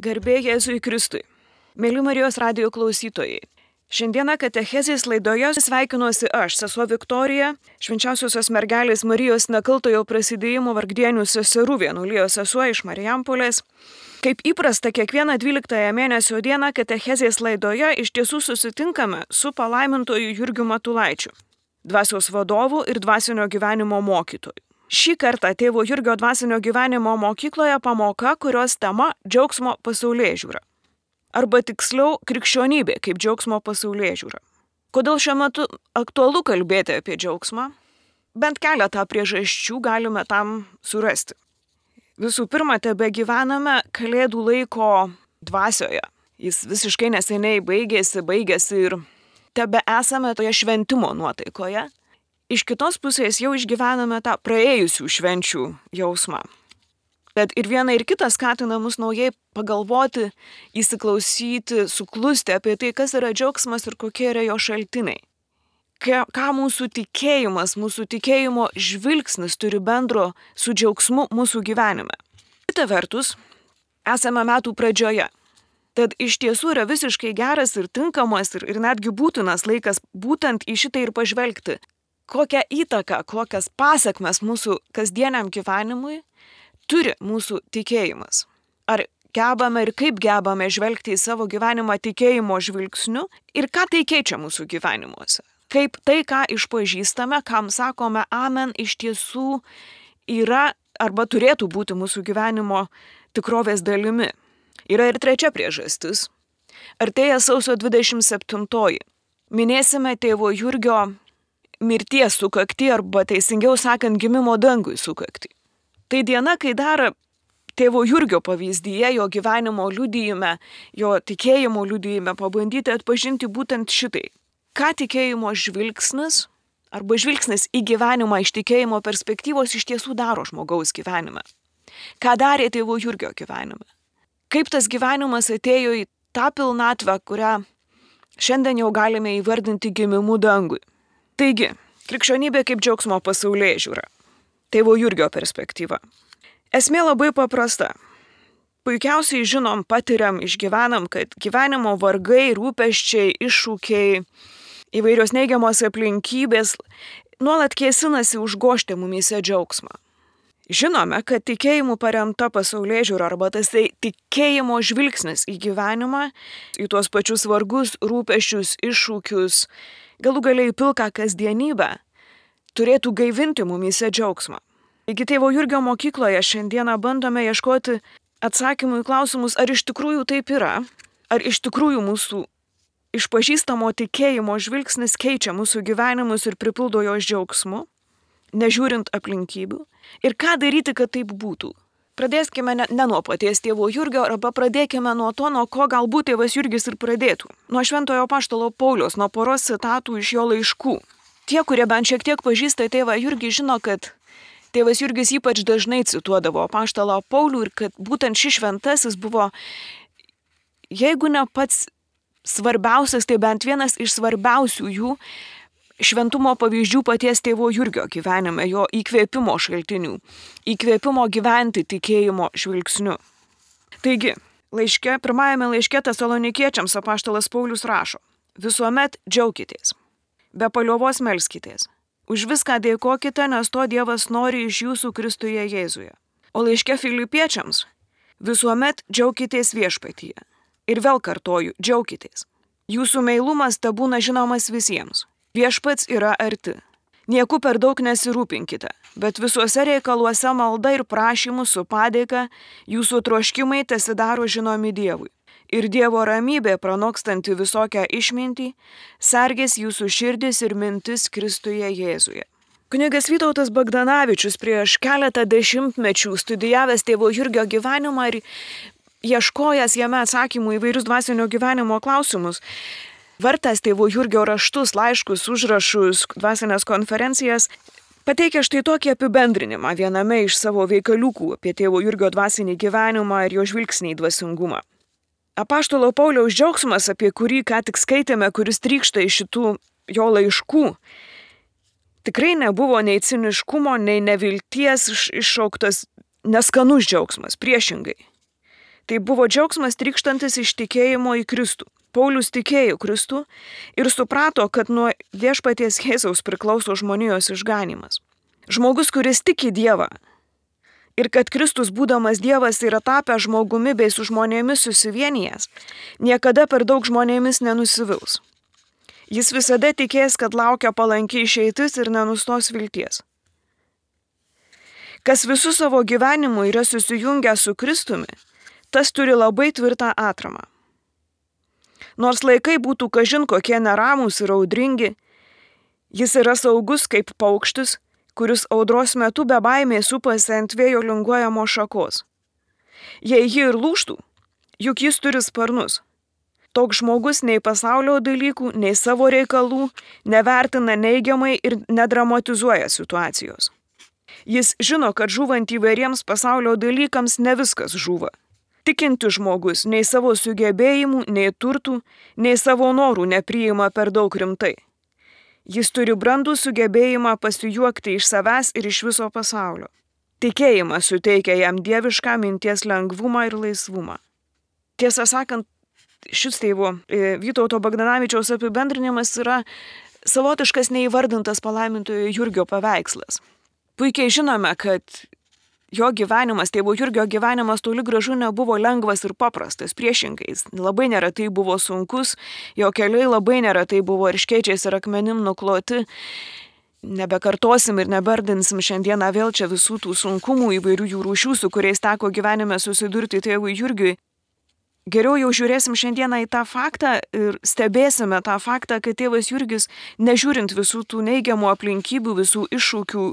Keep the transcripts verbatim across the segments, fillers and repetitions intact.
Garbė Jėzui Kristui. Mėly Marijos radijo klausytojai. Šiandieną katechezės laidoje sveikinuosi aš, sesuo Viktorija, švenčiausiosios mergelės Marijos nekaltojo prasidėjimo vargdienių seserų vienuolijos sesuo iš Marijampolės. Kaip įprasta, kiekvieną dvyliktąją mėnesio dieną katechezės laidoje iš tiesų susitinkame su palaimintoju Jurgiu Matulaičiu, dvasios vadovu ir dvasinio gyvenimo mokytoju. Šį kartą tėvo Jurgio dvasinio gyvenimo mokykloje pamoka, kurios tema džiaugsmo pasaulėžiūra. Arba tiksliau krikščionybė kaip džiaugsmo pasaulėžiūra. Kodėl šiuo metu aktualu kalbėti apie džiaugsmą? Bent keletą priežasčių galime tam surasti. Visų pirma, tebe gyvename kalėdų laiko dvasioje. Jis visiškai neseniai baigėsi, baigėsi ir tebe esame toje šventimo nuotaikoje. Iš kitos pusės jau išgyvename tą praėjusių švenčių jausmą. Bet ir viena ir kita skatina mus naujai pagalvoti, įsiklausyti, suklusti apie tai, kas yra džiaugsmas ir kokie yra jo šaltiniai. Ką mūsų tikėjimas, mūsų tikėjimo žvilgsnis turi bendro su džiaugsmu mūsų gyvenime. Kita vertus, esame metų pradžioje. Tad iš tiesų yra visiškai geras ir tinkamas ir, ir netgi būtinas laikas būtent į šitą ir pažvelgti. Kokią įtaką, kokias pasekmes mūsų kasdieniam gyvenimui turi mūsų tikėjimas. Ar gebame ir kaip gebame žvelgti į savo gyvenimą tikėjimo žvilgsniu ir ką tai keičia mūsų gyvenimuose. Kaip tai, ką išpažįstame, kam sakome amen, iš tiesų yra arba turėtų būti mūsų gyvenimo tikrovės dalimi. Yra ir trečia priežastis. Artėja sausio dvidešimt septintoji. Minėsime tėvo Jurgio mirties sukaktį arba teisingiau sakant gimimo dangui sukaktį. Tai diena, kai dar tėvo Jurgio pavyzdyje, jo gyvenimo liudijime, jo tikėjimo liudijime pabandyti atpažinti būtent šitai. Ką tikėjimo žvilgsnis arba žvilgsnis į gyvenimą iš tikėjimo perspektyvos iš tiesų daro žmogaus gyvenime. Ką darė tėvo Jurgio gyvenime. Kaip tas gyvenimas atėjo į tą pilnatvę, kurią šiandien jau galime įvardinti gimimu dangui. Taigi, krikščionybė kaip džiaugsmo pasaulėžiūra. Tėvo Jurgio perspektyva. Esmė labai paprasta. Puikiausiai žinom, patiriam, išgyvenam, kad gyvenimo vargai, rūpesčiai, iššūkiai, įvairios neigiamos aplinkybės nuolat kėsinasi užgožti mumyse džiaugsmą. Žinome, kad tikėjimu paremta pasaulėžiūra arba tas tai tikėjimo žvilgsnis į gyvenimą, į tuos pačius vargus, rūpesčius, iššūkius, galų galiai pilką kasdienybę, turėtų gaivinti mumyse džiaugsmą. Taigi tėvo Jurgio mokykloje šiandieną bandome ieškoti atsakymų į klausimus, ar iš tikrųjų taip yra, ar iš tikrųjų mūsų išpažįstamo tikėjimo žvilgsnis keičia mūsų gyvenimus ir pripildo jos džiaugsmu, nežiūrint aplinkybių, ir ką daryti, kad taip būtų. Pradėskime ne, ne nuo paties tėvo Jurgio, arba pradėkime nuo to, nuo ko galbūt tėvas Jurgis ir pradėtų. Nuo šventojo apaštalo Pauliaus, nuo poros citatų iš jo laiškų. Tie, kurie bent šiek tiek pažįsta tėvą Jurgį, žino, kad tėvas Jurgis ypač dažnai cituodavo apaštalą Paulių ir kad būtent šis šventasis buvo, jeigu ne pats svarbiausias, tai bent vienas iš svarbiausių jų šventumo pavyzdžių paties tėvo Jurgio gyvenime, jo įkvėpimo šaltinių, įkvėpimo gyventi tikėjimo žvilgsniu. Taigi, laiške, pirmajame laiške Tesalonikiečiams apaštalas Paulius rašo: visuomet džiaukitės, be paliovos melskitės, už viską dėkokite, nes to Dievas nori iš jūsų Kristuje Jėzuje. O laiške Filipiečiams: visuomet džiaukitės viešpatyje. Ir vėl kartoju, džiaukitės. Jūsų meilumas tebūna žinomas visiems. Viešpats yra arti. Nieku per daug nesirūpinkite, bet visuose reikaluose malda ir prašymų su padėka jūsų troškimai tesidaro žinomi Dievui. Ir Dievo ramybė, pranokstanti visokią išmintį, sergės jūsų širdis ir mintis Kristuje Jėzuje. Kunigas Vytautas Bagdanavičius prieš keletą dešimtmečių studijavęs tėvo Jurgio gyvenimą ir ieškojęs jame atsakymų į vairius dvasinio gyvenimo klausimus, vartęs tėvo Jurgio raštus, laiškus, užrašus, dvasinės konferencijas, pateikia štai tokį apibendrinimą viename iš savo veikaliukų apie tėvo Jurgio dvasinį gyvenimą ir jo žvilgsnį į dvasingumą. Apaštalo Pauliaus džiaugsmas, apie kurį ką tik skaitėme, kuris trykšta iš šitų jo laiškų, tikrai nebuvo nei ciniškumo, nei nevilties iššauktas neskanus džiaugsmas, priešingai. Tai buvo džiaugsmas trykštantis iš tikėjimo į Kristų. Paulius tikėjo Kristų ir suprato, kad nuo viešpaties Jėzaus priklauso žmonijos išganymas. Žmogus, kuris tiki Dievą ir kad Kristus, būdamas Dievas, yra tapęs žmogumi bei su žmonėmis susivienijęs, niekada per daug žmonėmis nenusivils. Jis visada tikės, kad laukia palanki išeitis ir nenustos vilties. Kas visų savo gyvenimu yra susijungęs su Kristumi, tas turi labai tvirtą atramą. Nors laikai būtų kažin kokie neramūs ir audringi, jis yra saugus kaip paukštis, kuris audros metu be baimės supasi ant vėjo linguojamo šakos. Jei ji ir lūžtų, juk jis turi sparnus. Toks žmogus nei pasaulio dalykų, nei savo reikalų nevertina neigiamai ir nedramatizuoja situacijos. Jis žino, kad žūvant įvairiems pasaulio dalykams ne viskas žūva. Tikinti žmogus nei savo sugebėjimų, nei turtų, nei savo norų nepriima per daug rimtai. Jis turi brandų sugebėjimą pasijuokti iš savęs ir iš viso pasaulio. Tikėjimas suteikia jam dievišką minties lengvumą ir laisvumą. Tiesą sakant, šis tėvo Vytauto Bagdanavičiaus apibendrinimas yra savotiškas neįvardintas palaimintojo Jurgio paveikslas. Puikiai žinome, kad jo gyvenimas, tėvo Jurgio gyvenimas toli gražu nebuvo lengvas ir paprastas, priešingai. Labai neretai buvo sunkus, jo keliai labai neretai buvo erškėčiais ir akmenim nukloti. Nebekartosim ir nebardinsim šiandieną vėl čia visų tų sunkumų įvairių jų rūšių, su kuriais teko gyvenime susidurti tėvui Jurgiui. Geriau jau žiūrėsim šiandieną į tą faktą ir stebėsime tą faktą, kad tėvas Jurgis, nežiūrint visų tų neigiamų aplinkybių, visų iššūkių,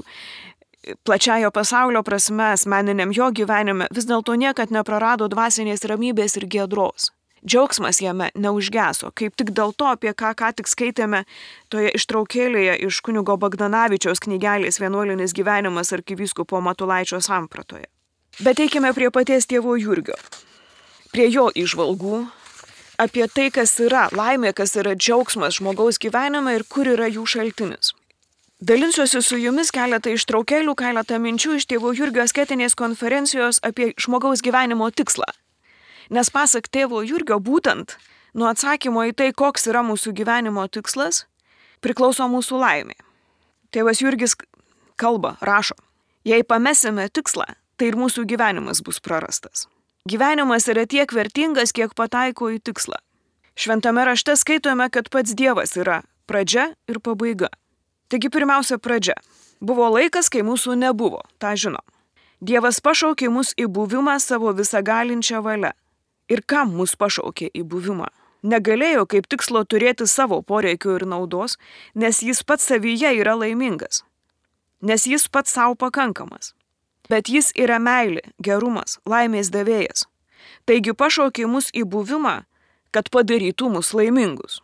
plačiajo pasaulio prasme, asmeniniam jo gyvenime, vis dėlto niekad neprarado dvasinės ramybės ir giedros. Džiaugsmas jame neužgeso, kaip tik dėl to, apie ką ką tik skaitėme toje ištraukėlėje iš kunigo Bagdanavičiaus knygelės Vienuolinis gyvenimas arkivyskupo Matulaičio sampratoje. Bet eikime prie paties tėvo Jurgio, prie jo įžvalgų apie tai, kas yra laimė, kas yra džiaugsmas žmogaus gyvenime ir kur yra jų šaltinis. Dalinsiuosi su jumis keletą ištraukėlių, keletą minčių iš tėvo Jurgio asketinės konferencijos apie žmogaus gyvenimo tikslą. Nes pasak tėvo Jurgio būtent nuo atsakymo į tai, koks yra mūsų gyvenimo tikslas, priklauso mūsų laimė. Tėvas Jurgis kalba, rašo, jei pamesime tikslą, tai ir mūsų gyvenimas bus prarastas. Gyvenimas yra tiek vertingas, kiek pataiko į tikslą. Šventame rašte skaitome, kad pats Dievas yra pradžia ir pabaiga. Taigi pirmiausia pradžia. Buvo laikas, kai mūsų nebuvo, tą žinom. Dievas pašaukė mus į buvimą savo visagalinčią valią. Ir kam mus pašaukė į buvimą? Negalėjo kaip tikslo turėti savo poreikių ir naudos, nes jis pats savyje yra laimingas. Nes jis pats savo pakankamas. Bet jis yra meilė, gerumas, laimės davėjas. Taigi pašaukė mus į buvimą, kad padarytų mus laimingus.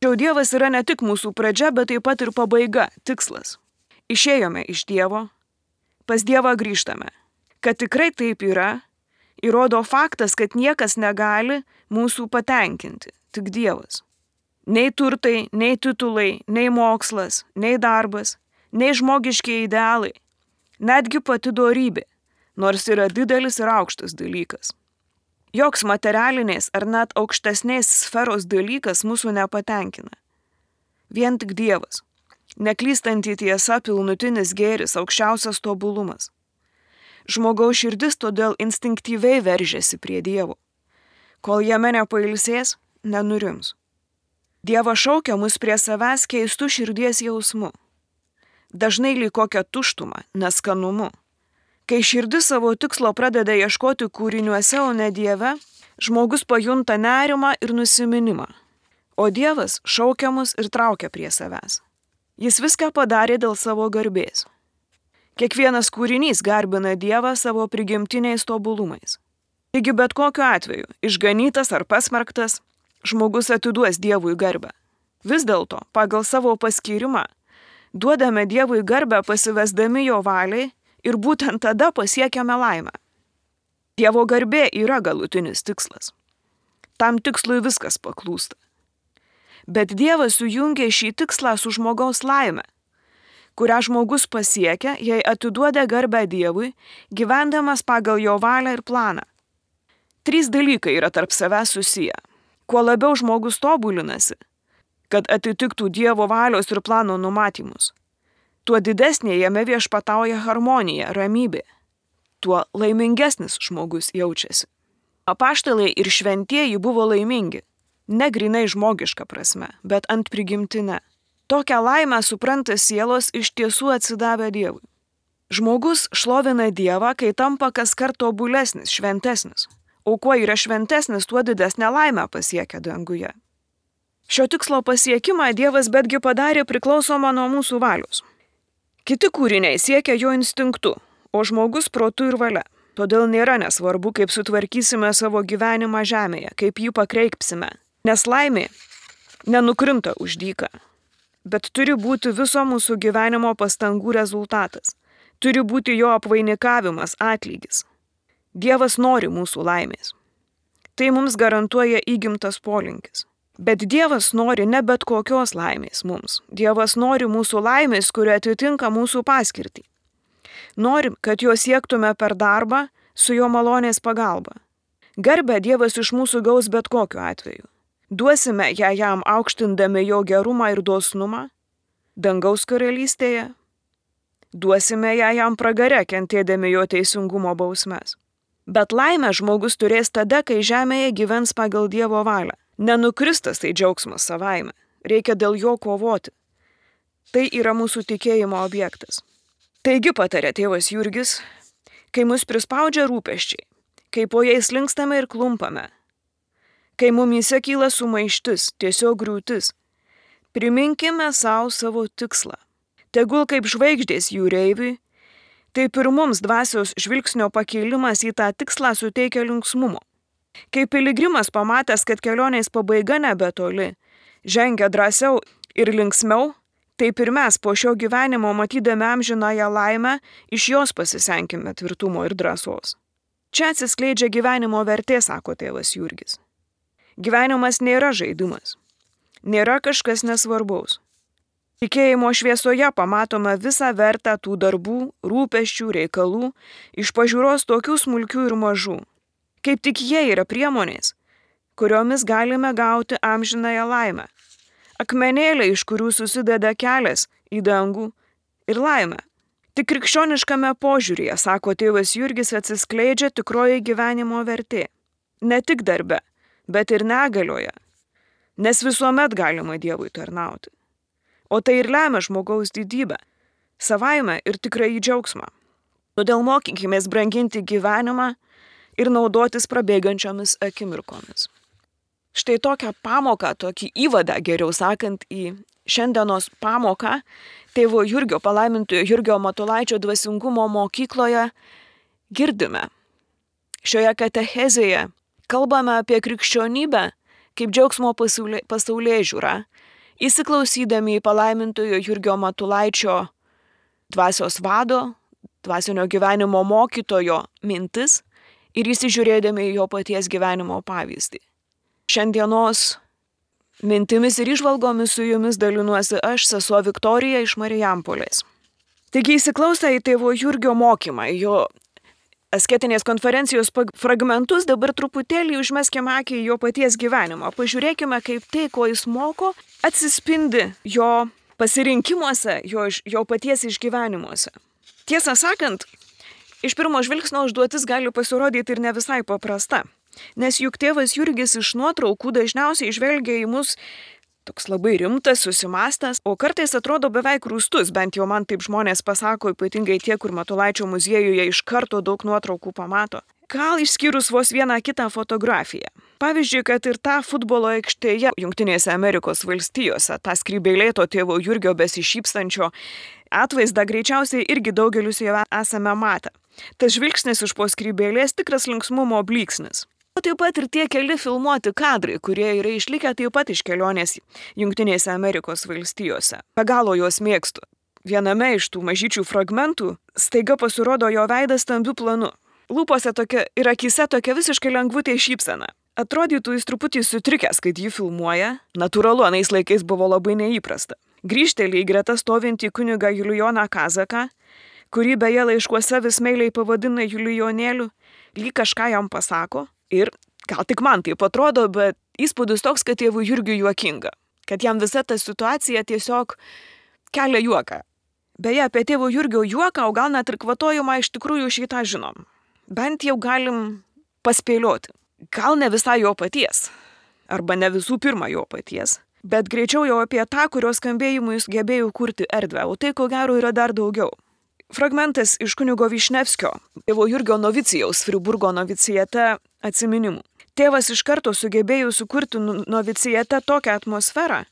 Tačiau Dievas yra ne tik mūsų pradžia, bet taip pat ir pabaiga, tikslas. Išėjome iš Dievo, pas Dievą grįžtame. Kad tikrai taip yra, įrodo faktas, kad niekas negali mūsų patenkinti, tik Dievas. Nei turtai, nei titulai, nei mokslas, nei darbas, nei žmogiški idealai, netgi pati dorybė, nors yra didelis ir aukštas dalykas. Joks materialinės ar net aukštesnės sferos dalykas mūsų nepatenkina. Vien tik Dievas, neklystanti tiesa, pilnutinis gėris, aukščiausias tobulumas. Žmogaus širdis todėl instinktyviai veržiasi prie Dievo. Kol jame nepailsės, nenurims. Dievas šaukia mus prie savęs keistų širdies jausmu. Dažnai lyg kokią tuštumą, neskanumu. Kai širdis savo tikslo pradeda ieškoti kūriniuose, o ne Dieve, žmogus pajunta nerimą ir nusiminimą. O Dievas šaukia mus ir traukia prie savęs. Jis viską padarė dėl savo garbės. Kiekvienas kūrinys garbina Dievą savo prigimtiniais tobulumais. Taigi bet kokiu atveju, išganytas ar pasmerktas, žmogus atiduos Dievui garbę. Vis dėlto, pagal savo paskyrimą, duodame Dievui garbę pasivesdami jo valiai, ir būtent tada pasiekiame laimę. Dievo garbė yra galutinis tikslas. Tam tikslui viskas paklūsta. Bet Dievas sujungia šį tikslą su žmogaus laime, kurią žmogus pasiekia, jei atiduoda garbę Dievui, gyvendamas pagal jo valią ir planą. Trys dalykai yra tarp savęs susiję. Kuo labiau žmogus tobulinasi, kad atitiktų Dievo valios ir plano numatymus, tuo didesnė jame viešpatauja harmonija, ramybė, tuo laimingesnis žmogus jaučiasi. Apaštalai ir šventieji buvo laimingi, ne grynai žmogiška prasme, bet ant prigimtine. Tokią laimę supranta sielos iš tiesų atsidavę Dievui. Žmogus šlovina Dievą, kai tampa kaskart tobulesnis, šventesnis. O kuo yra šventesnis, tuo didesnę laimę pasiekia danguje. Šio tikslo pasiekimą Dievas betgi padarė priklausomą nuo mūsų valios. Kiti kūriniai siekia jo instinktu, o žmogus protu ir valia. Todėl nėra nesvarbu, kaip sutvarkysime savo gyvenimą žemėje, kaip jį pakreipsime. Nes laimė nenukrinta už dyką, bet turi būti viso mūsų gyvenimo pastangų rezultatas. Turi būti jo apvainikavimas, atlygis. Dievas nori mūsų laimės. Tai mums garantuoja įgimtas polinkis. Bet Dievas nori ne bet kokios laimės mums. Dievas nori mūsų laimės, kuri atitinka mūsų paskirtį. Nori, kad jo siektume per darbą su jo malonės pagalba. Garbę Dievas iš mūsų gaus bet kokiu atveju. Duosime ją jam aukštindami jo gerumą ir dosnumą dangaus karalystėje. Duosime ją jam pragare, kentėdami jo teisingumo bausmes. Bet laimę žmogus turės tada, kai žemėje gyvens pagal Dievo valią. Nenukristas tai džiaugsmas savaime. Reikia dėl jo kovoti. Tai yra mūsų tikėjimo objektas. Taigi patarė tėvas Jurgis, kai mus prispaudžia rūpesčiai, kai po jais linkstame ir klumpame, kai mumyse kyla sumaištis, tiesiog griūtis, priminkime savo savo tikslą. Tegul kaip žvaigždės jūreiviui, taip ir mums dvasios žvilgsnio pakėlimas į tą tikslą suteikia linksmumo. Kai piligrimas pamatęs, kad kelionės pabaiga nebetoli, žengia drąsiau ir linksmiau, taip ir mes po šio gyvenimo matydami amžinąją laimę, iš jos pasisenkime tvirtumo ir drąsos. Čia atsiskleidžia gyvenimo vertė, sako tėvas Jurgis. Gyvenimas nėra žaidimas, nėra kažkas nesvarbaus. Tikėjimo šviesoje pamatome visą vertę tų darbų, rūpesčių, reikalų, iš pažiūros tokių smulkių ir mažų. Kaip tik jie yra priemonės, kuriomis galime gauti amžinąją laimę. Akmenėliai, iš kurių susideda kelias į dangų ir laimę. Tik krikščioniškame požiūryje, sako tėvas Jurgis, atsiskleidžia tikroji gyvenimo vertė. Ne tik darbe, bet ir negalioje, nes visuomet galima Dievui tarnauti. O tai ir lemia žmogaus didybę, savaime ir tikrai džiaugsmą. Todėl mokykimės branginti gyvenimą ir naudotis prabėgančiomis akimirkomis. Štai tokią pamoką, tokį įvadą, geriau sakant, į šiandienos pamoką tėvo Jurgio, palaimintojo Jurgio Matulaičio dvasingumo mokykloje girdime. Šioje katechezėje kalbame apie krikščionybę kaip džiaugsmo pasaulėžiūrą, įsiklausydami į palaimintojo Jurgio Matulaičio dvasios vado, dvasinio gyvenimo mokytojo mintis ir įsižiūrėdami į jo paties gyvenimo pavyzdį. Šiandienos mintimis ir įžvalgomis su jumis dalinuosi aš, sesuo Viktorija iš Marijampolės. Taigi įsiklausę į tėvo Jurgio mokymą, jo asketinės konferencijos fragmentus, dabar truputėlį užmeskime akį į jo paties gyvenimą. Pažiūrėkime, kaip tai, ko jis moko, atsispindi jo pasirinkimuose, jo, jo paties išgyvenimuose. Tiesą sakant, iš pirmo žvilgsnio užduotis gali pasirodyti ir ne visai paprasta, nes juk tėvas Jurgis iš nuotraukų dažniausiai žvelgia į mus toks labai rimtas, susimastęs, o kartais atrodo beveik rūstus, bent jau man taip žmonės pasako, ypatingai tie, kur Matulaičio muziejuje iš karto daug nuotraukų pamato. Gal išskyrus vos vieną kitą fotografiją. Pavyzdžiui, kad ir tą futbolo aikštėje Jungtinėse Amerikos valstijose, tą skrybėlėto tėvo Jurgio besišypsančio atvaizdą greičiausiai irgi daugelius jau esame matę. Tas žvilgsnis iš po skrybėlės tikras linksmumo blyksnis. O taip pat ir tie keli filmuoti kadrai, kurie yra išlikę taip pat iš kelionės Jungtinėse Amerikos valstijose. Be galo juos mėgstu. Viename iš tų mažyčių fragmentų staiga pasirodo jo veidas stambiu planu. Lūpose tokia ir akise tokia visiškai lengvutė šypsena. Atrodytų jis truputį sutrikęs, kad jį filmuoja. Natūralu, anais laikais buvo labai neįprasta. Grįžteli į greta stovintį kunigą Julijoną Kazaką, kurį beje laiškuose vis meiliai pavadina Julijonėliu, lyg kažką jam pasako. Ir gal tik man taip atrodo, bet įspūdis toks, kad tėvui Jurgiui juokinga. Kad jam visa ta situacija tiesiog kelia juoką. Beje, apie tėvo Jurgio juoką, o gal net ir kvatojimą iš tikrųjų šitą žinom. Bent jau galim paspėlioti. Gal ne visai jo paties. Arba ne visų pirma jo paties. Bet greičiau jau apie tą, kurios skambėjimui jis gebėjo kurti erdvę. O tai, ko gero, yra dar daugiau. Fragmentas iš kunigo Višnevskio, tėvo Jurgio novicijaus Friburgo novicijate atsiminimų. Tėvas iš karto sugebėjo sukurti novicijate tokią atmosferą,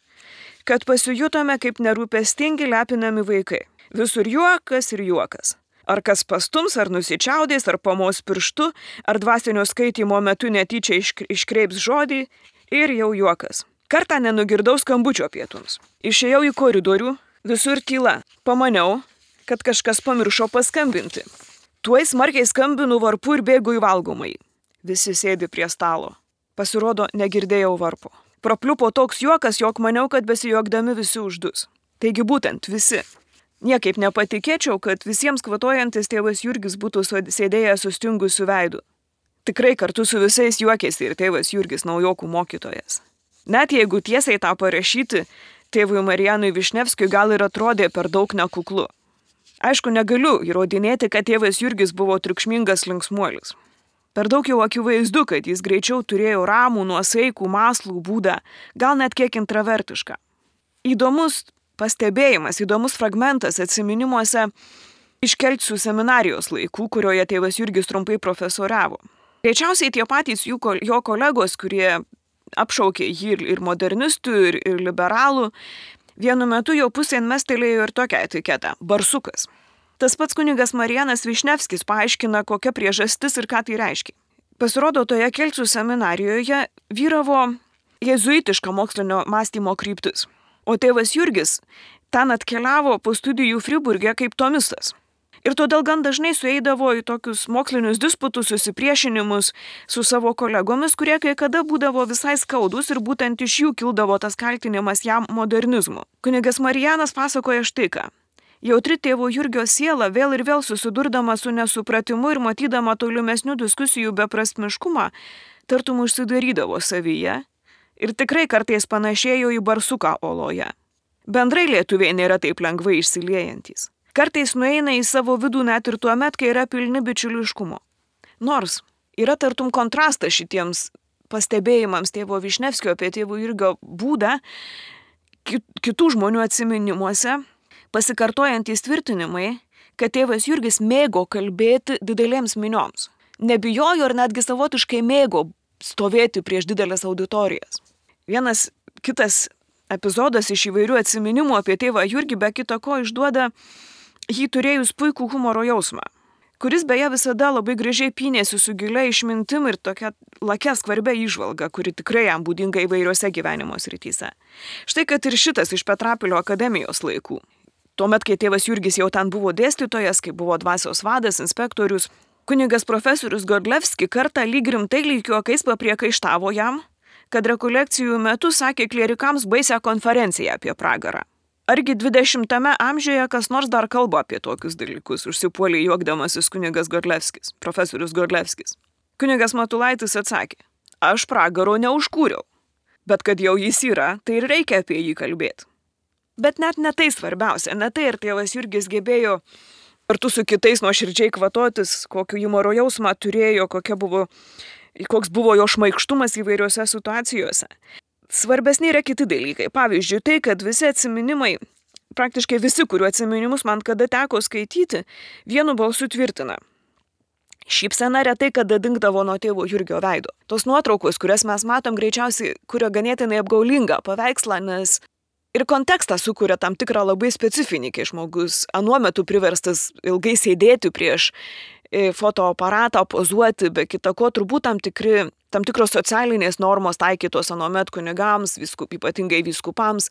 kad pasijutome kaip nerūpestingi lepinami vaikai. Visur juokas ir juokas. Ar kas pastums, ar nusičiaudės, ar pamos pirštu, ar dvasinio skaitymo metu netyčia iškreips žodį ir jau juokas. Kartą nenugirdau skambučio pietums. Išėjau į koridorių, visur tyla. Pamaniau, kad kažkas pamiršo paskambinti. Tuoj smarkiai skambinu varpu ir bėgu į valgomai. Visi sėdi prie stalo. Pasirodo, negirdėjau varpo. Prapliupo toks juokas, jog maniau, kad besijuokdami visi uždus. Taigi būtent visi. Niekaip nepatikėčiau, kad visiems kvatojantis tėvas Jurgis būtų sėdėjęs sustingusiu veidu. Tikrai kartu su visais juokėsi ir tėvas Jurgis naujokų mokytojas. Net jeigu tiesiai tą parašyti, tėvui Marijanui Višnevskiui gal ir atrodė per daug nekuklu. Aišku, negaliu įrodinėti, kad tėvas Jurgis buvo triukšmingas linksmuolis. Per daug jau akivaizdu, kad jis greičiau turėjo ramų, nuosaikų, mąslų būdą, gal net kiek intravertišką. Įdomus pastebėjimas, įdomus fragmentas atsiminimuose iš Kelcų seminarijos laikų, kurioje tėvas Jurgis trumpai profesoriavo. Greičiausiai tie patys jų, jo kolegos, kurie apšaukė jį ir modernistų, ir, ir liberalų, vienu metu jo pusėn mestelėjo ir tokią etiketą – barsukas. Tas pats kunigas Marijanas Višnevskis paaiškina, kokia priežastis ir ką tai reiškia. Pasirodo, toje Kelcų seminarijoje vyravo jezuitiška mokslinio mąstymo kryptis, o tėvas Jurgis ten atkeliavo po studijų Friburge kaip tomistas. Ir todėl gan dažnai sueidavo į tokius mokslinius disputus, susipriešinimus su savo kolegomis, kurie kai kada būdavo visai skaudus ir būtent iš jų kildavo tas kaltinimas jam modernizmu. Kunigas Marijanas pasakoja štai ką. Jautri tėvo Jurgio siela vėl ir vėl susidurdama su nesupratimu ir matydama tolimesnių diskusijų beprasmiškumą, tartum užsidarydavo savyje ir tikrai kartais panašėjo į barsuką oloje. Bendrai lietuviai nėra taip lengvai išsiliejantis. Kartais nueina į savo vidų net ir tuo met, kai yra pilni bičiuliškumo. Nors yra tartum kontrastas šitiems pastebėjimams tėvo Višnevskio apie tėvo Jurgio būdą, kitų žmonių atsiminimuose, pasikartojantys tvirtinimai, kad tėvas Jurgis mėgo kalbėti didelėms minioms. Nebijojo ir netgi savotiškai mėgo stovėti prieš didelės auditorijas. Vienas kitas epizodas iš įvairių atsiminimų apie tėvą Jurgį be kita ko išduoda jį turėjus puikų humoro jausmą, kuris beje visada labai gražiai pynėsi su gilia išmintim ir tokia lakia skvarbia įžvalga, kuri tikrai jam būdinga įvairiose gyvenimo srityse. Štai kad ir šitas iš Petrapilio akademijos laikų. Tuomet, kai tėvas Jurgis jau ten buvo dėstytojas, kai buvo dvasios vadas, inspektorius, kunigas profesorius Godlevski kartą lyg rimtai lyg juokais papriekaištavo jam, kad rekolekcijų metu sakė klierikams baisią konferenciją apie pragarą. Argi dvidešimtame amžiuje kas nors dar kalba apie tokius dalykus, užsipuolė juokdamasis kunigas Godlevskis, profesorius Godlevskis. Kunigas Matulaitis atsakė, aš pragaro neužkūriau, bet kad jau jis yra, tai ir reikia apie jį kalbėti. Bet net ne tai svarbiausia, ne tai ir tėvas Jurgis gebėjo kartu su kitais nuoširdžiai kvatotis, kokio humoro jausmą turėjo, kokia buvo, koks buvo jo šmaikštumas įvairiose situacijose. Svarbesni yra kiti dalykai. Pavyzdžiui, tai, kad visi atsiminimai, praktiškai visi, kurių atsiminimus man kada teko skaityti, vienu balsu tvirtina. Šypsena retai kada dingdavo nuo tėvo Jurgio veido. Tos nuotraukos, kurias mes matom, greičiausiai kuria ganėtinai apgaulingą paveikslą, nes ir kontekstą sukuria tam tikrą labai specifinį, kai žmogus anuo metu priverstas ilgai sėdėti prieš fotoaparatą, pozuoti, be kita ko, turbūt tam, tikri, tam tikros socialinės normos taikytos anuomet kunigams, viskup, ypatingai vyskupams,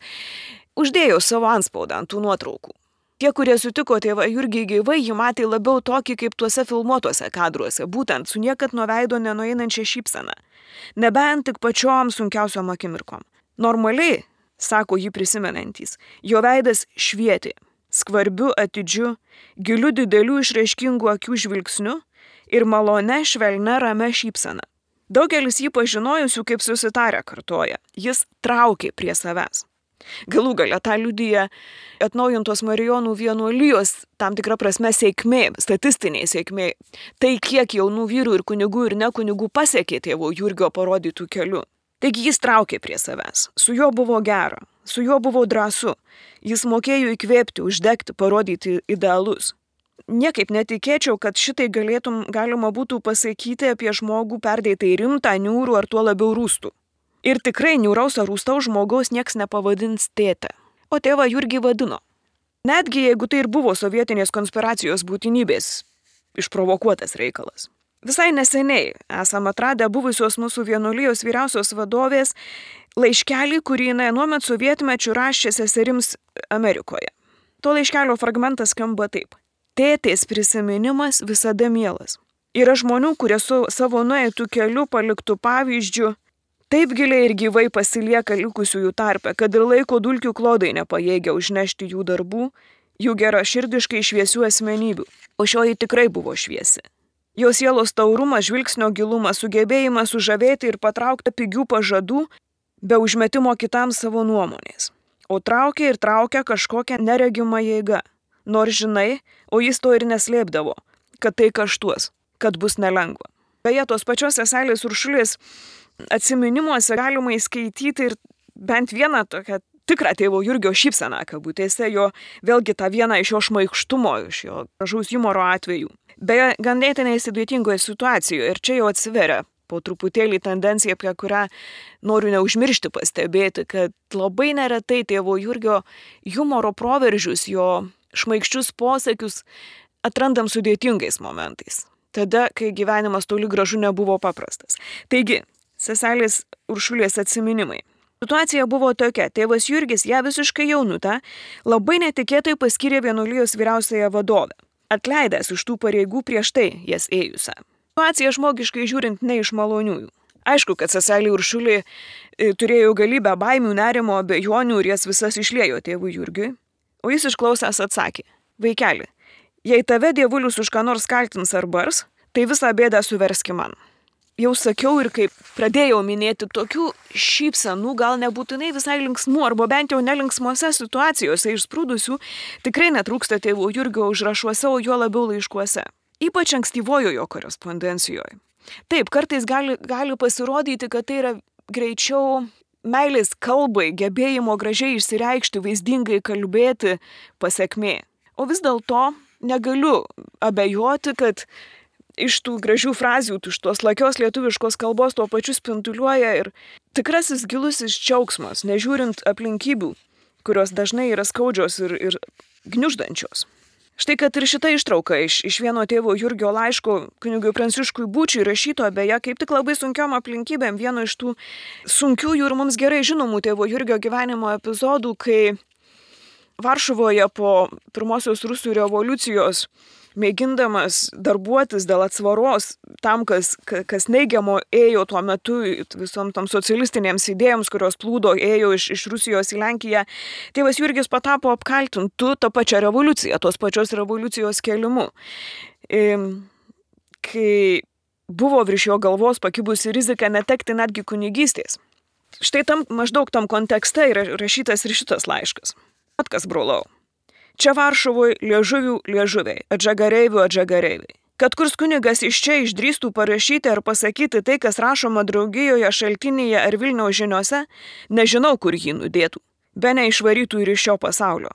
uždėjo savo antspaudą ant tų nuotraukų. Tie, kurie sutiko tėvą Jurgį gyvai, jį matė labiau tokį kaip tuose filmuotuose kadruose, būtent su niekad nuo veido nenueinančia šypsena, nebent tik pačiom sunkiausiom akimirkom. Normaliai, sako jį prisimenantys, jo veidas švietė. Skvarbiu, atidžiu, giliu didelių išraiškingų akių žvilgsniu ir malone švelnia ramia šypsena. Daugelis jį pažinojusių kaip susitarę kartoja, jis traukė prie savęs. Galų gale tą liudija atnaujintos Marijonų vienuolijos tam tikra prasme sėkmė, statistiniai sėkmė. Tai kiek jaunų vyrų ir kunigų ir ne kunigų pasiekė tėvo Jurgio parodytų keliu. Taigi jis traukė prie savęs, su juo buvo gera, su juo buvo drąsu, jis mokėjo įkvėpti, uždegti, parodyti idealus. Niekaip netikėčiau, kad šitai galėtum, galima būtų pasakyti apie žmogų perdėtai rimtą, niūrų ar tuo labiau rūstų. Ir tikrai niūraus ar rūstaus žmogaus nieks nepavadins tėte, o tėvą Jurgį vadino. Netgi jeigu tai ir buvo sovietinės konspiracijos būtinybės išprovokuotas reikalas. Visai neseniai esame atradę buvusios mūsų vienuolijos vyriausios vadovės laiškelį, kurį jinai anuomet sovietmečiu rašė seserims Amerikoje. To laiškelio fragmentas skamba taip. Tėtės prisiminimas visada mielas. Yra žmonių, kurie su savo nueitų keliu paliktų pavyzdžių, taip giliai ir gyvai pasilieka likusiųjų tarpe, kad ir laiko dulkių klodai nepajėgia užnešti jų darbų, jų geraširdiškai šviesių asmenybių. O šioji tikrai buvo šviesi. Jos sielos taurumas, žvilgsnio gilumas, sugebėjimas sužavėti ir patraukti pigių pažadų, be užmetimo kitam savo nuomonės. O traukia ir traukia kažkokią neregimą jėgą. Nors žinai, o jis to ir neslėpdavo, kad tai kaštuos, kad bus nelengva. Beje, tos pačios seselės Uršulės atsiminimuose galima įskaityti ir bent vieną tokią tikrą tėvo Jurgio šypseną kabutėse, jo vėlgi tą vieną iš jo šmaikštumo, iš jo gražaus humoro atvejų. Beje, ganėtinai sudėtingoje situacijoje ir čia jau atsiveria po truputėlį tendencija, apie kurią noriu neužmiršti pastebėti, kad labai neretai tėvo Jurgio humoro proveržius, jo šmaikščius posakius atrandam sudėtingais momentais. Tada, kai gyvenimas toli gražu nebuvo paprastas. Taigi, seselės Uršulės atsiminimai. Situacija buvo tokia, tėvas Jurgis ją visiškai jaunutą labai netikėtai paskyrė vienuolijos vyriausiąją vadovę, atleidęs iš tų pareigų prieš tai jas ėjusią. Situacija žmogiškai žiūrint ne iš maloniųjų. Aišku, kad seselė Uršulė turėjo galybę baimių, nerimo, abejonių ir jas visas išliejo tėvui Jurgiui, o jis išklausęs atsakė, vaikeli, jei tave dievulius už ką nors kaltins ar bars, tai visą bėdą suverski man. Jau sakiau ir kaip pradėjau minėti, tokių šypsenų, gal nebūtinai visai linksmų, arba bent jau nelinksmose situacijose išsprūdusių, tikrai netrūksta tėvo Jurgio užrašuose, o juo labiau laiškuose. Ypač ankstyvojojo korespondencijoje. Taip, kartais gali, gali pasirodyti, kad tai yra greičiau meilės kalbai, gebėjimo gražiai išsireikšti, vaizdingai kalbėti pasekmė. O vis dėlto negaliu abejoti, kad iš tų gražių frazių, iš tos lakios lietuviškos kalbos tuo pačiu spinduliuoja ir tikrasis gilusis džiaugsmas, nežiūrint aplinkybių, kurios dažnai yra skaudžios ir, ir gniuždančios. Štai kad ir šita ištrauka iš, iš vieno tėvo Jurgio laiško kunigui Pranciškui Būčiui rašyto, beje, kaip tik labai sunkiom aplinkybėm, vieno iš tų sunkiųjų ir mums gerai žinomų tėvo Jurgio gyvenimo epizodų, kai Varšuvoje po pirmosios Rusų revoliucijos mėgindamas darbuotis dėl atsvaros tam, kas, kas neigiamo ėjo tuo metu visom tam socialistinėms idėjams, kurios plūdo ėjo iš, iš Rusijos į Lenkiją, tėvas Jurgis patapo apkaltintu tą pačią revoliuciją, tos pačios revoliucijos kelimu. Kai buvo virš jo galvos pakibusi rizika netekti netgi kunigystės. Štai tam, maždaug tam kontekste yra rašytas ir šitas laiškas. Atkas, brolau. Čia Varšuvoje liežuvių liežuviai, atžagareivių atžagareiviai. Kad kurs kunigas iš čia išdrįstų parašyti ar pasakyti tai, kas rašoma draugijoje, šaltinėje ar Vilniaus žiniose, nežinau, kur jį nudėtų. Be neišvarytų ir iš šio pasaulio.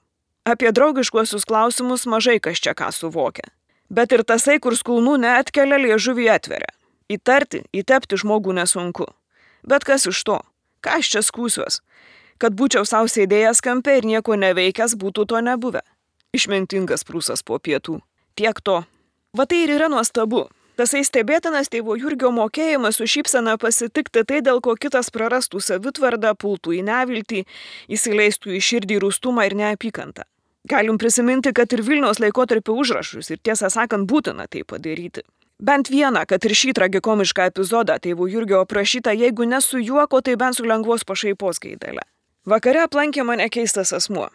Apie draugiškuosius klausimus mažai kas čia ką suvokia. Bet ir tasai, kur skulnų neatkelia, liežuvį atveria. Įtarti, įtepti žmogų nesunku. Bet kas iš to? Ką aš čia skūsiuos? Kad būčiau savo sėdėjęs kampe ir nieko neveikęs, būtų to nebuvę. Išmintingas prūsas po pietų. Tiek to. Va tai ir yra nuostabu. Tasai stebėtinas tėvo Jurgio mokėjimas su šypsena pasitikti tai, dėl ko kitas prarastų savitvardą, pultų į neviltį, įsileistų į širdį rūstumą ir neapykantą. Galim prisiminti, kad ir Vilniaus laikotarpio užrašus ir tiesą sakant būtina tai padaryti. Bent vieną, kad ir šį tragikomišką epizodą tėvo Jurgio aprašyta, jeigu ne su juoko, tai bent su lengvos pašaipos gaidele. Vakare aplankė mane keistas asmuo.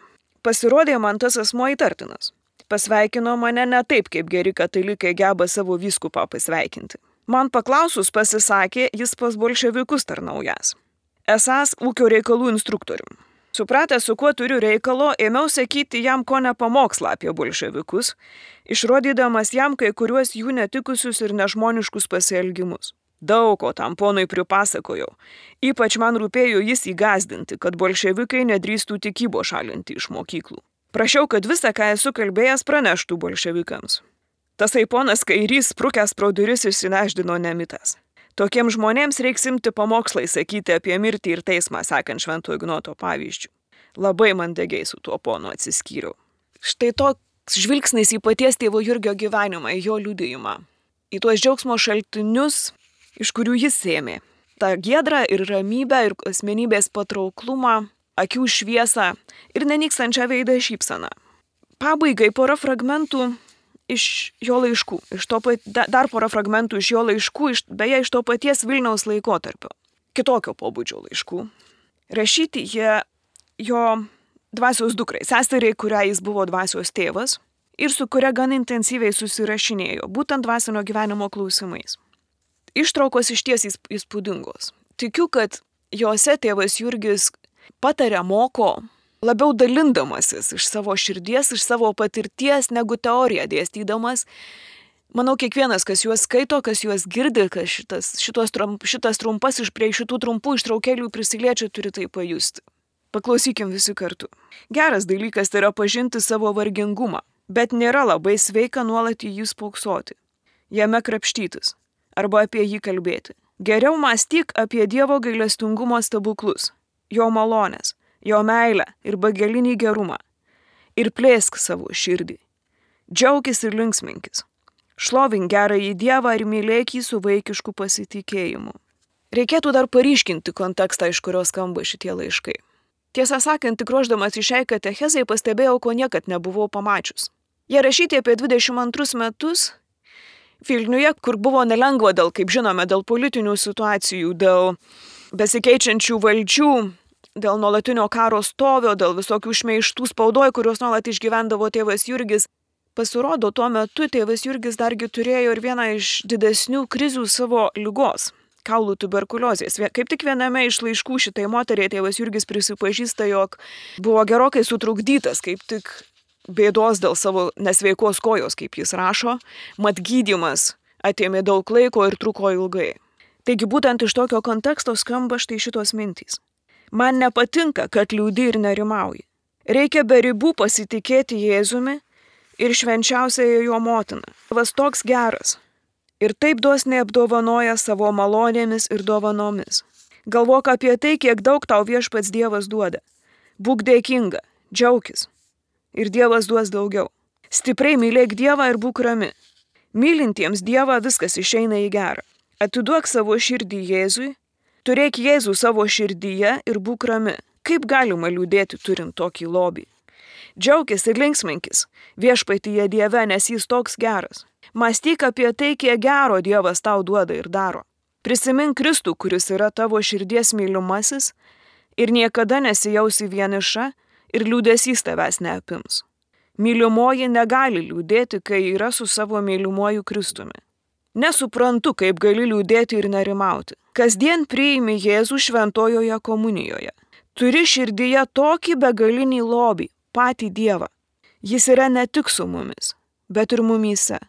Pasirodė man tas asmuo įtartinas. Pasveikino mane ne taip, kaip geri katalikai geba savo vyskupą pasveikinti. Man paklausus pasisakė, jis pas bolševikus tarnaujas. Esąs ūkio reikalų instruktorium. Supratęs, su kuo turiu reikalo, ėmiau sakyti jam ko ne pamokslą apie bolševikus, išrodydamas jam kai kuriuos jų netikusius ir nežmoniškus pasielgimus. Daug ko tam ponui pripasakojau. Ypač man rūpėjo jis įgazdinti, kad bolševikai nedrįstų tikybo šalinti iš mokyklų. Prašiau, kad visą, ką esu kalbėjęs, praneštų bolševikams. Tasai ponas kairys, sprukęs pro duris, išsinešdino nemitas. Tokiems žmonėms reiks imti pamokslai sakyti apie mirtį ir teismą, sekant Švento Ignoto pavyzdžių. Labai mandagiai su tuo ponu atsiskyriau. Štai toks žvilgsnis į paties tėvo Jurgio gyvenimą, į jo liudijimą, į tuos džiaugsmo šaltinius, iš kurių jis ėmė. Ta giedrą ir ramybę, ir asmenybės patrauklumą, akių šviesą ir nenykstančią veidą šypsaną. Pabaigai pora fragmentų iš jo laiškų, iš to pat, dar porą fragmentų iš jo laiškų, iš, beje, iš to paties Vilniaus laikotarpio, kitokio pobūdžio laiškų. Rašyti jie jo dvasios dukrai, seseriai, kurią jis buvo dvasios tėvas ir su kuria gan intensyviai susirašinėjo, būtent dvasinio gyvenimo klausimais. Ištraukos išties įspūdingos. Tikiu, kad jose tėvas Jurgis pataria, moko, labiau dalindamasis iš savo širdies, iš savo patirties, negu teoriją dėstydamas. Manau, kiekvienas, kas juos skaito, kas juos girdi, kas šitas, šitos, šitas trumpas iš prie šitų trumpų ištraukėlių prisiliečia, turi tai pajusti. Paklausykim visi kartu. Geras dalykas yra pažinti savo vargingumą, bet nėra labai sveika nuolat į jį spoksoti, jame krapštytis arba apie jį kalbėti. Geriau mąstyk apie Dievo gailestingumo stebuklus, jo malonės, jo meilę ir begalinį gerumą. Ir plėsk savo širdį. Džiaukis ir linksminkis. Šlovink gerąjį Dievą ir mylėk jį su vaikišku pasitikėjimu. Reikėtų dar paryškinti kontekstą, iš kurio skamba šitie laiškai. Tiesą sakant, tik ruošdamas į šiai katechezai pastebėjau, ko niekad nebuvau pamačius. Jie rašyti apie dvidešimt antrus metus Vilniuje, kur buvo nelengva dėl, kaip žinome, dėl politinių situacijų, dėl besikeičiančių valdžių, dėl nuolatinio karo stovio, dėl visokių šmeižtų spaudoj, kuriuos nuolat išgyvendavo tėvas Jurgis. Pasirodo, tuo metu tėvas Jurgis dargi turėjo ir vieną iš didesnių krizių savo ligos – kaulų tuberkuliozės. Kaip tik viename iš laiškų šitai moteriai tėvas Jurgis prisipažįsta, jog buvo gerokai sutrukdytas, kaip tik bėdos dėl savo nesveikos kojos, kaip jis rašo, mat gydymas atėmė daug laiko ir truko ilgai. Taigi būtent iš tokio konteksto skamba štai šitos mintys. Man nepatinka, kad liūdi ir nerimauji. Reikia be ribų pasitikėti Jėzumi ir švenčiausiąją jo motiną. Dievas toks geras ir taip dosniai apdovanoja savo malonėmis ir dovanomis. Galvok apie tai, kiek daug tau viešpats Dievas duoda. Būk dėkinga, džiaukis ir Dievas duos daugiau. Stipriai mylėk Dievą ir būk rami. Mylintiems Dievą viskas išeina į gerą. Atiduok savo širdį Jėzui. Turėk Jėzų savo širdyje ir būk rami. Kaip galima liūdėti turint tokį lobį? Džiaukis ir linksminkis viešpatyje Dieve, nes jis toks geras. Mąstyk apie tai, kiek gero Dievas tau duoda ir daro. Prisimink Kristų, kuris yra tavo širdies mylimasis ir niekada nesijausi vieniša ir liūdesys tavęs neapims. Mylimoji negali liūdėti, kai yra su savo mylimuoju Kristumi. Nesuprantu, kaip gali liūdėti ir nerimauti. Kasdien priimi Jėzų šventojoje komunijoje. Turi širdyje tokį begalinį lobį, patį Dievą. Jis yra ne tik su mumis, bet ir mumyse.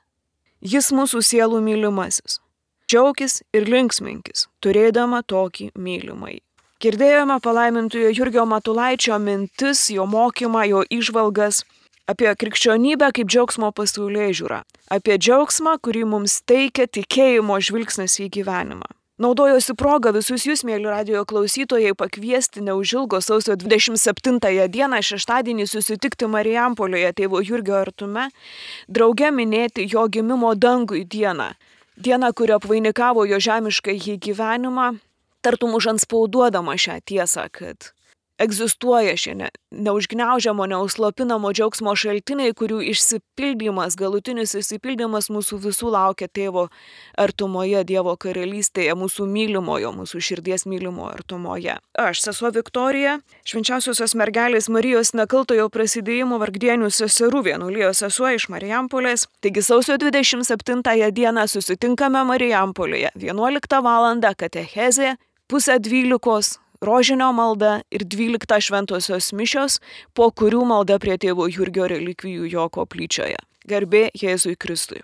Jis mūsų sielų mylimasis. Džiaukis ir linksminkis, turėdama tokį mylimąjį. Girdėjome palaimintojo Jurgio Matulaičio mintis, jo mokymą, jo įžvalgas apie krikščionybę kaip džiaugsmo pasaulėžiūrą, apie džiaugsmą, kurį mums teikia tikėjimo žvilgsnis į gyvenimą. Naudojosi progą visus jūs, mėly radijo klausytojai, pakviesti neužilgo sausio dvidešimt septintąją dieną šeštadienį susitikti Marijampolėje tėvo Jurgio artume, drauge minėti jo gimimo dangui dieną, dieną, kuri apvainikavo jo žemiškąjį gyvenimą, tartum užantspauduodama šią tiesą, kad egzistuoja šie ne, neužgniaužiamo, neužslopinamo džiaugsmo šaltiniai, kurių išsipildymas, galutinis išsipildymas mūsų visų laukia tėvo artumoje, Dievo karalystėje, mūsų mylimojo, mūsų širdies mylimo artumoje. Aš, sesuo Viktorija, švenčiausiosios mergelės Marijos Nekaltojo prasidėjimo vargdienių seserų vienuolijos sesuo iš Marijampolės. Taigi sausio dvidešimt septintąją dieną susitinkame Marijampolėje, vienuoliktą valandą katechezė, pusę dvylikos rožinio malda ir dvyliktą šventosios mišios, po kurių malda prie tėvo Jurgio relikvijų jo koplyčioje. Garbė Jėzui Kristui.